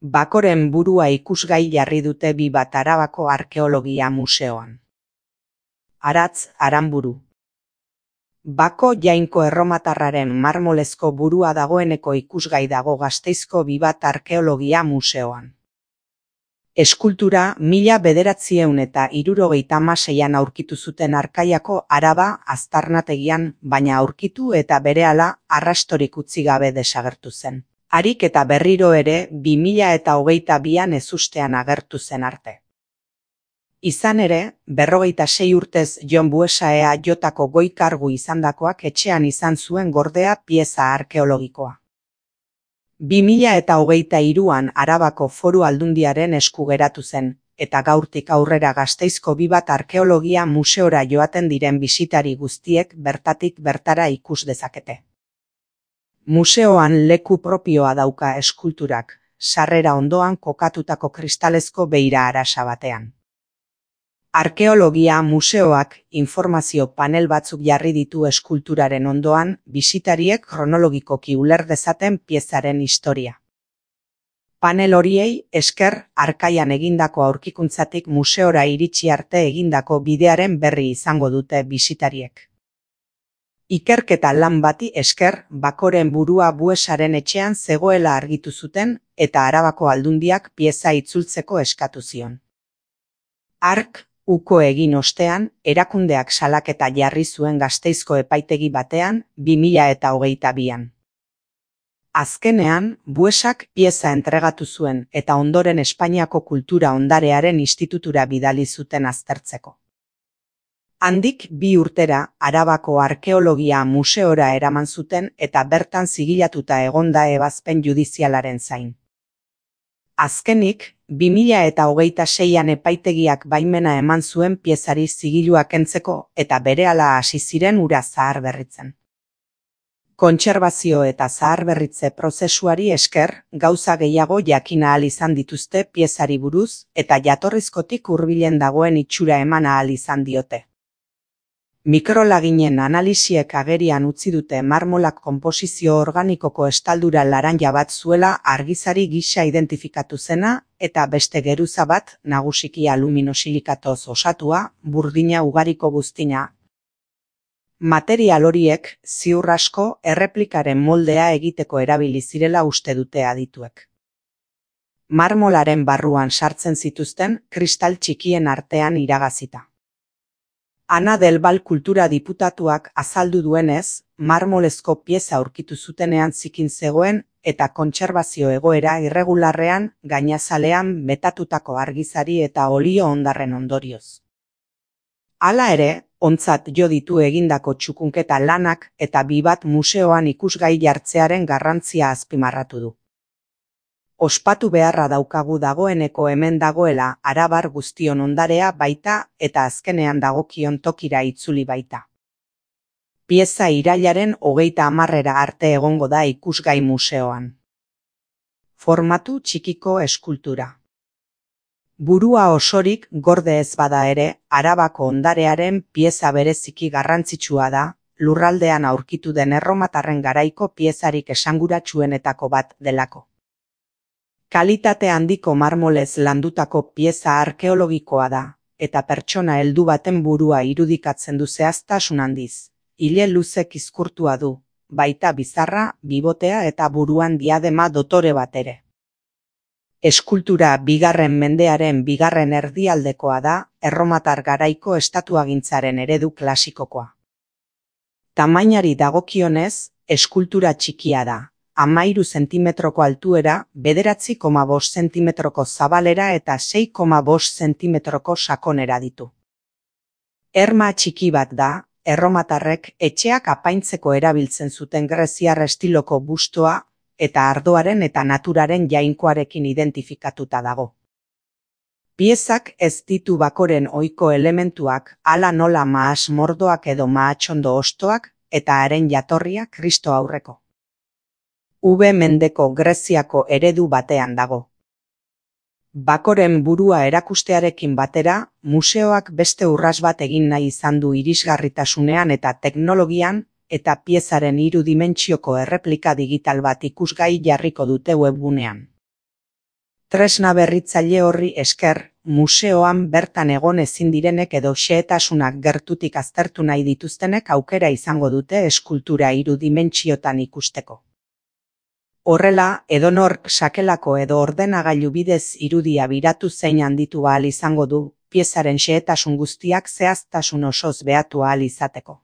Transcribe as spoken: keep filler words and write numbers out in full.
Bakoren burua ikusgai jarri dute bi bat Arabako Arkeologia Museoan. Aratz Aranburu. Bako Jainko erromatarraren marmolezko burua dagoeneko ikusgai dago Gasteizko bi bat Arkeologia Museoan. Eskultura mila bederatziehun eta hirurogeita hamaseian aurkitu zuten Arkaiako Araba aztarnategian, baina aurkitu eta berehala arrastorik utzi gabe desagertu zen. Harik eta berriro ere bi mila eta hogeita bian ezustean agertu zen arte. Izan ere, berrogeita sei urtez Jon Buesaea jotako goi kargu izandakoak etxean izan zuen gordea pieza arkeologikoa. bi mila eta hogeita hiruan Arabako Foru Aldundiaren esku geratu zen, eta gaurtik aurrera Gasteizko bi bat Arkeologia Museora joaten diren bisitari guztiek bertatik bertara ikus dezakete. Museoan leku propioa dauka eskulturak, sarrera ondoan kokatutako kristalezko beira arasa batean. Arkeologia Museoak informazio panel batzuk jarri ditu eskulturaren ondoan, bisitariek kronologikoki uler dezaten piezaren historia. Panel horiei esker Arkaian egindako aurkikuntzatik museora iritsi arte egindako bidearen berri izango dute bisitariek. Ikerketa lan bati esker Bakoren burua Buesaren etxean zegoela argitu zuten eta Arabako Aldundiak pieza itzultzeko eskatu zion. Ark uko egin ostean, erakundeak salaketa jarri zuen Gasteizko epaitegi batean bi mila eta hogeita bian. Azkenean, Buesak pieza entregatu zuen eta ondoren Espainiako Kultura Ondarearen Institutura bidali zuten aztertzeko. Handik bi urtera Arabako Arkeologia Museora eraman zuten eta bertan zigilatuta egonda ebazpen judizialaren zain. Azkenik, bi mila eta hogeita seian epaitegiak baimena eman zuen piezari zigilua kentzeko eta berehala hasi ziren hura zaharberritzen. Kontserbazio eta zaharberritze prozesuari esker, gauza gehiago jakin ahal izan dituzte piezari buruz eta jatorrizkotik hurbilen dagoen itxura eman ahal izan diote. Mikrolaginen analisiek agerian utzi dute marmolak konposizio organikoko estaldura laranja bat zuela argizari gisa identifikatu zena eta beste geruza bat nagusiki aluminosilikatoz osatua, burdina ugariko buztina. Material horiek ziur asko erreplikaren moldea egiteko erabili zirela uste dute adituek. Marmolaren barruan sartzen zituzten kristal txikien artean iragazita. Ana del Val kultura diputatuak azaldu duenez, marmolezko pieza aurkitu zutenean zikin zegoen eta kontserbazio egoera irregularrean gainazalean metatutako argizari eta olio hondarren ondorioz. Hala ere, ontzat jo ditu egindako txukunketa lanak eta bi bat museoan ikusgai jartzearen garrantzia azpimarratu du. Ospatu beharra daukagu dagoeneko hemen dagoela arabar guztion ondarea baita eta azkenean dagokion tokira itzuli baita. Pieza irailaren hogeita hamarrera arte egongo da ikusgai museoan. Formatu txikiko eskultura. Burua osorik gorde ez bada ere, Arabako ondarearen pieza bereziki garrantzitsua da, lurraldean aurkitu den erromatarren garaiko piezarik esanguratsuenetako bat delako. Kalitate handiko marmolez landutako pieza arkeologikoa da, eta pertsona heldu baten burua irudikatzen du zehaztasun handiz. Ile luze kizkurtua du, baita bizarra, bibotea eta buruan diadema dotore bat ere. Eskultura bigarren mendearen bigarren erdialdekoa da, erromatar garaiko estatuagintzaren eredu klasikokoa. Tamainari dagokionez, eskultura txikia da. Hamairu zentimetroko altuera, bederatzi koma bost zentimetroko zabalera eta sei koma bost zentimetroko sakonera ditu. Erma txiki bat da, erromatarrek etxeak apaintzeko erabiltzen zuten greziar estiloko bustoa eta ardoaren eta naturaren jainkoarekin identifikatuta dago. Piezak ez ditu Bakoren ohiko elementuak, hala nola mahas mordoak edo mahatsondo ostoak eta haren jatorria Kristo aurreko. Ube mendeko Greziako eredu batean dago. Bakoren burua erakustearekin batera, museoak beste urras bat egin nahi izan du irisgarritasunean eta teknologian, eta piezaren hiru dimentsioko erreplika digital bat ikusgai jarriko dute webgunean. Tresna berritzaile horri esker, museoan bertan egon ezin direnek edo xehetasunak gertutik aztertu nahi dituztenek aukera izango dute eskultura hiru dimentsiotan ikusteko. Horrela, edonork sakelako edo ordenagailu bidez irudia biratu zein handitu ahal izango du, piezaren xehetasun guztiak zehaztasun osoz behatu ahal izateko.